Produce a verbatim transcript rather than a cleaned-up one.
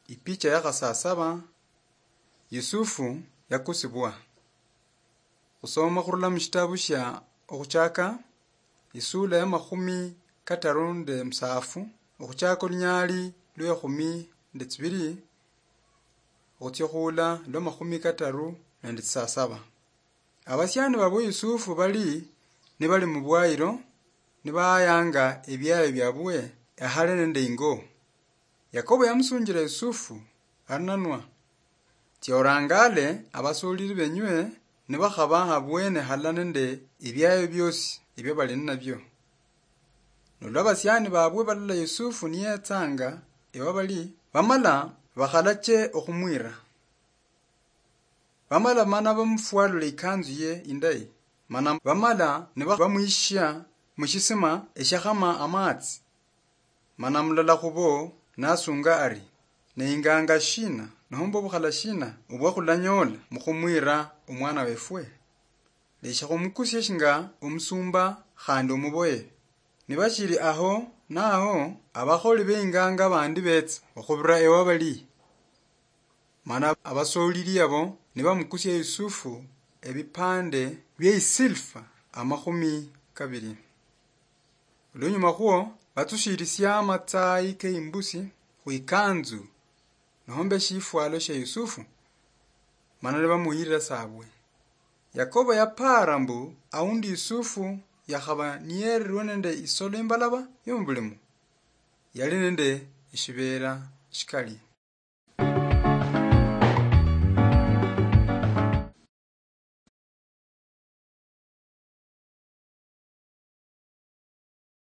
Ipicha ya khasasaba, Yusufu yakusibwa. Khusoma khurula mushitabu shia Okhuchaka, isula ya makhumi kataru nende musaafu, okhuchaka olunyali lwe khumi nende tsibili, okhutsia khula lwa makhumi kataru nende tsisasaba. Abasiani babwe Yusufu bali nibali mubwayilo, nibahayanga ebiayo biabwe ehale nende ingo. Yakobo yamusunjila Yusufu, arinanwa, tsia orangale abasolili benywe nibakhaba habwene hala nende ebiayo biosi ebia bali ninabio. Nolwa abasiani babwe balola Yusufu niyetsanga ewa bali, bamala bakhalache okhumwira. Bamala mana bamufwalula ikanzu ye indayi, mana bamala nibamwishia mushisima eshiakhama amatsi. Mana mulala khubo nasunga ari, ne inganga shina nomba obukhala shina obwa khulanyola mukhumwira omwana wefwe? Lesha khumukusie shinga omusumba khandi omuboye. Nibashili aho naho, abakholi beinganga bandi betsa okhubira ewa bali. Mana abasolili abo nibamukusia Yusufu ebipande bie isilfa amakhumi kabili. Olunyuma khwo batsushilisia amatsayi ke imbusi khu ikanzu nomba eshifwalo shia Yusufu, mana nibamuyirira sabwe. Yakobo yapaara mbu aundi Yusufu yakhaba niyeerirwe nende isolo imbalaba yomubulimo, yali nende eshibeera shikali.